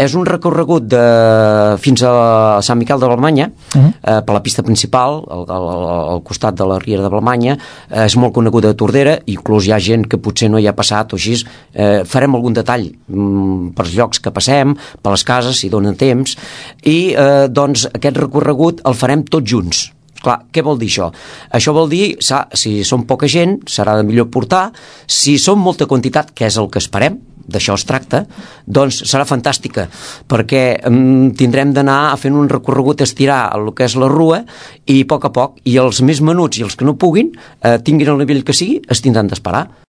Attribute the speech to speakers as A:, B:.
A: És un recorregut fins a Sant Miquel de Balmanya, per la pista principal, al costat de la Riera de Balmanya. És molt coneguda a Tordera, inclús hi ha gent que potser no hi ha passat o així. Farem algun detall per llocs que passem, per les cases, si donen temps, i doncs aquest recorregut el farem tots junts. Clar, què vol dir això? Això vol dir, si som poca gent, serà de millor portar. Si som molta quantitat, que és el que esperem, d'això es tracta, doncs serà fantàstica, perquè tindrem d'anar fent un recorregut, estirar el que és la rua, i a poc, i els més menuts i els que no puguin, tinguin el nivell que sigui, es tindran d'esperar.